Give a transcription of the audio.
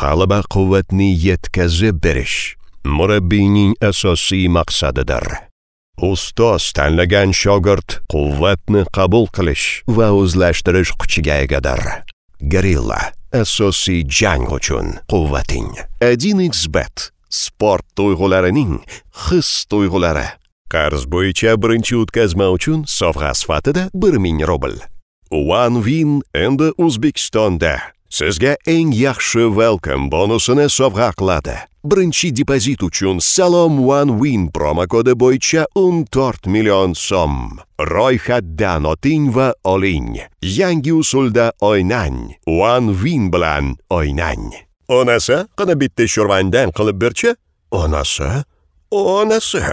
G'alaba quvvatni yetkazib berish murabbiyning asosiy maqsadidir. Ustoz tanlagan shogird quvvatni qabul qilish va o'zlashtirish kuchiga egadir. Gorilla asosiy jang uchun quvvating. 1xBet sport tuyg'ularining his tuyg'ulari. Qarz bo'yicha birinchi o'tkazma uchun sovg'a sifatida 1000 rubl. One Win endi O'zbekistonda sizga eng yaxshi welcome bonusini sovg'a qiladi. Birinchi depozit uchun Salom One Win promokodi bo'yicha 14 million so'm. Ro'yxatdan o'ting va oling. Yangi usulda o'ynang. One Win bilan o'ynang. Onasi, qani bitta sho'rvangdan qilib berchi? Onasi? Onasi.